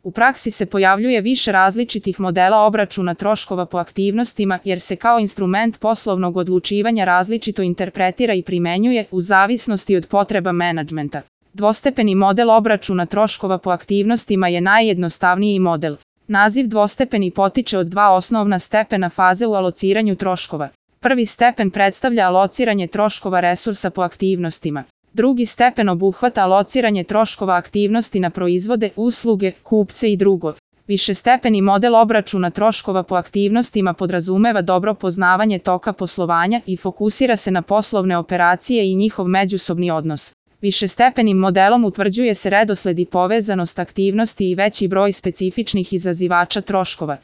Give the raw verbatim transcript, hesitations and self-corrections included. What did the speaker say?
U praksi se pojavljuje više različitih modela obračuna troškova po aktivnostima jer se kao instrument poslovnog odlučivanja različito interpretira i primenjuje u zavisnosti od potreba menadžmenta. Dvostepeni model obračuna troškova po aktivnostima je najjednostavniji model. Naziv dvostepeni potiče od dva osnovna stepena faze u alociranju troškova. Prvi stepen predstavlja alociranje troškova resursa po aktivnostima. Drugi stepen obuhvata alociranje troškova aktivnosti na proizvode, usluge, kupce i drugo. Višestepeni model obračuna troškova po aktivnostima podrazumeva dobro poznavanje toka poslovanja i fokusira se na poslovne operacije i njihov međusobni odnos. Višestepenim modelom utvrđuje se redosled i povezanost aktivnosti i veći broj specifičnih izazivača troškova.